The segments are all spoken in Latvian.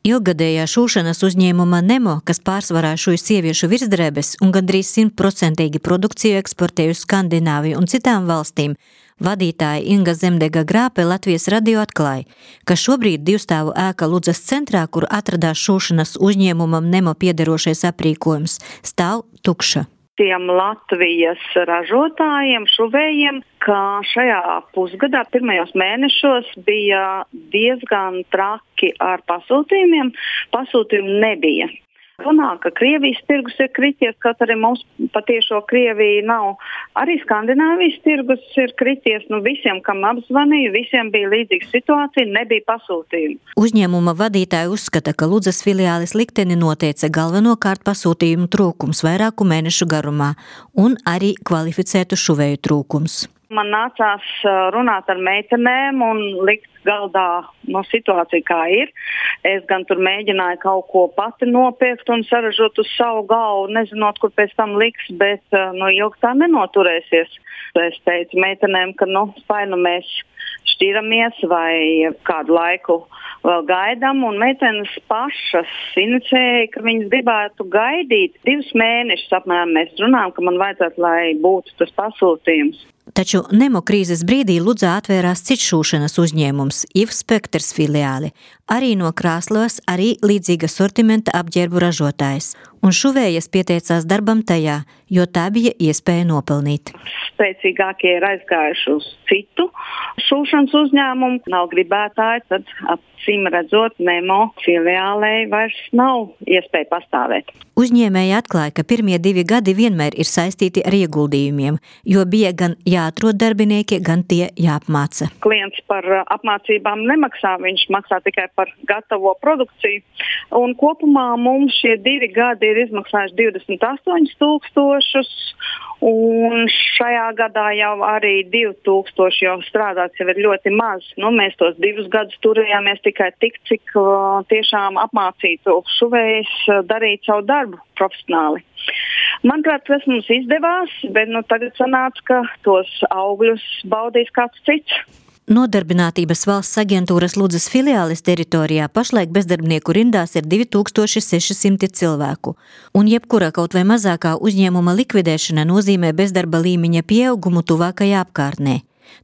Ilgadējā šūšanas uzņēmuma Nemo, kas pārsvarā šūj sieviešu virsdrēbes un gandrīz 100% produkciju eksportē uz Skandināviju un citām valstīm, vadītāja Inga Zemdega Grāpe Latvijas radio atklāja, ka šobrīd divstāvu ēka Ludzas centrā, kur atradās šūšanas uzņēmumam Nemo piederošais aprīkojums, stāv tukša. Tiem Latvijas ražotājiem, šuvējiem, ka šajā pusgadā, pirmajos mēnešos bija diezgan traki ar pasūtījumiem. Pasūtījumu nebija. Runā, ka Krievijas tirgus ir krities, kaut arī mums patiešo Krieviju nav. Arī Skandināvijas tirgus ir krities. Visiem, kam apzvanīju, visiem bija līdzīga situācija, nebija pasūtījumu. Uzņēmuma vadītāji uzskata, ka Ludzas filiāles likteni noteica galvenokārt pasūtījumu trūkums vairāku mēnešu garumā un arī kvalificētu šuvēju trūkums. Man nācās runāt ar meitenēm un likt galdā situāciju, kā ir. Es gan tur mēģināju kaut ko pati nopirkt un saražot uz savu galvu, nezinot, kur pēc tam liks, bet ilgi tā nenoturēsies. Es teicu meitenēm, ka vai mēs šķiramies vai kādu laiku vēl gaidām, un meitenes pašas inicēja, ka viņas gribētu gaidīt 2 mēnešus apmēram. Mēs runājam, ka man vajadzētu, lai būtu tas pasūtījums. Taču Nemo krīzes brīdī Ludzā atvērās cits šūšanas uzņēmums, IV Spektrs filiāli, arī no Krāslavas, arī līdzīga sortimenta apģērbu ražotājs. Un šuvējas pieteicās darbam tajā, jo tā bija iespēja nopelnīt. Spēcīgākie ir aizgājuši uz citu šūšanas uzņēmumu. Nav gribētāji, tad acīm redzot, Nemo filiālei vairs nav iespēja pastāvēt. Uzņēmēji atklāja, ka pirmie 2 gadi vienmēr ir saistīti ar ieguldījumiem, jo bija gan jāatrod darbinieki, gan tie jāapmāca. Klients par apmācībām nemaksā, viņš maksā tikai par gatavo produkciju. Un kopumā mums šie 2 gadi ir izmaksājuši 28,000, un šajā gadā jau arī 2,000, jo strādāts jau ir ļoti maz. Mēs tos 2 gadus turējāmies tikai tik, cik tiešām apmācītu šuvējus darīt savu darbu profesionāli. Manuprāt, tas mums izdevās, bet tagad sanāca, ka tos augļus baudīs kāds cits. Nodarbinātības valsts aģentūras Ludzas filiāles teritorijā pašlaik bezdarbnieku rindās ir 2600 cilvēku, un jebkura kaut vai mazākā uzņēmuma likvidēšana nozīmē bezdarba līmeņa pieaugumu tuvākajā apkārtnē.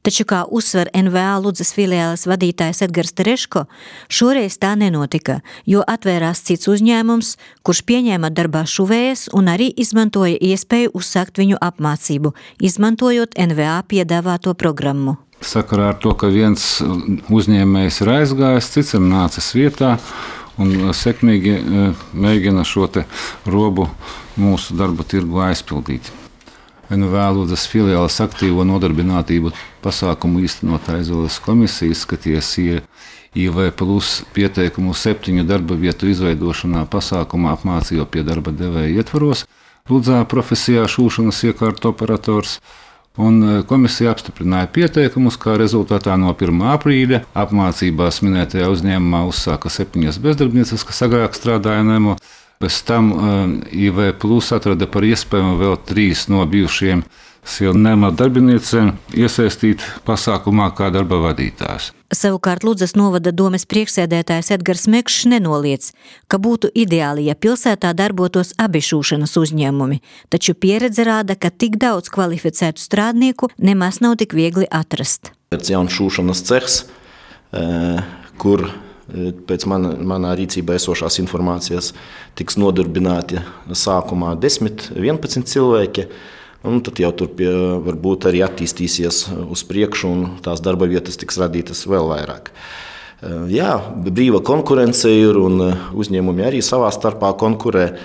Taču, kā uzsver NVA Ludzas filiāles vadītājs Edgars Tereško, šoreiz tā nenotika, jo atvērās cits uzņēmums, kurš pieņēma darbā šuvējas un arī izmantoja iespēju uzsākt viņu apmācību, izmantojot NVA piedāvāto programmu. Sakarā ar to, ka viens uzņēmējs ir aizgājis, cits ir nācis vietā un sekmīgi mēģina šo te robu mūsu darba tirgu aizpildīt. NVA Ludzas filiāles aktīvo nodarbinātību pasākumu īstenotāja Izvēles komisija izskatījās IV plus pieteikumu 7 darba vietu izveidošanā pasākumā apmācību pie darba devēja ietvaros Ludzā profesijā šūšanas iekārtu operators. Un komisija apstiprināja pieteikumus, kā rezultātā no 1. aprīļa apmācībās minētajā uzņēmumā uzsāka 7 bezdarbnieces, kas agrāk strādāja Nemo. Pēc tam IV plus atrada par iespējamu vēl 3 no bijušiem Nemo darbiniecēm iesaistīt pasākumā kā darba vadītājs. Savukārt Ludzas novada domes priekšsēdētājs Edgars Mekšs nenoliedz, ka būtu ideāli, ja pilsētā darbotos abi šūšanas uzņēmumi, taču pieredze rāda, ka tik daudz kvalificētu strādnieku nemaz nav tik viegli atrast. Jauns šūšanas cehs, kur pēc manā rīcībā esošās informācijas tiks nodarbināti sākumā 10–11 cilvēki. Un tad jau tur varbūt arī attīstīsies uz priekšu un tās darba vietas tiks radītas vēl vairāk. Jā, brīva konkurence ir un uzņēmumi arī savā starpā konkurē.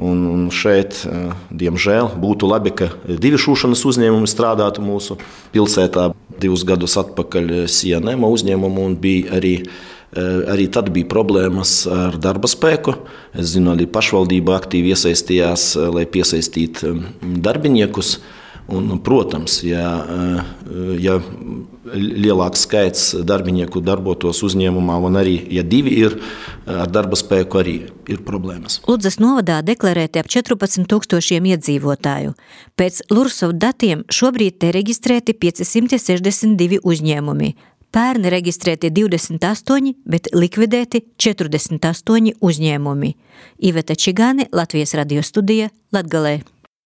Un šeit, diemžēl, būtu labi, ka 2 šūšanas uzņēmumi strādātu mūsu pilsētā. 2 gadus atpakaļ Nemo uzņēmumu un bija arī tad bija problēmas ar darba spēku. Es zinu, arī pašvaldība aktīvi iesaistījās, lai piesaistītu darbiniekus. Un, protams, ja lielāks skaits darbinieku darbotos uzņēmumā, un arī, ja 2 ir ar darba spēku, arī ir problēmas. Ludzas novadā deklarēti ap 14,000 iedzīvotāju. Pēc Lursov datiem šobrīd te reģistrēti 562 uzņēmumi. Pērni reģistrēti 28, bet likvidēti 48 uzņēmumi. Iveta Čigāne, Latvijas radio studija, Latgalē.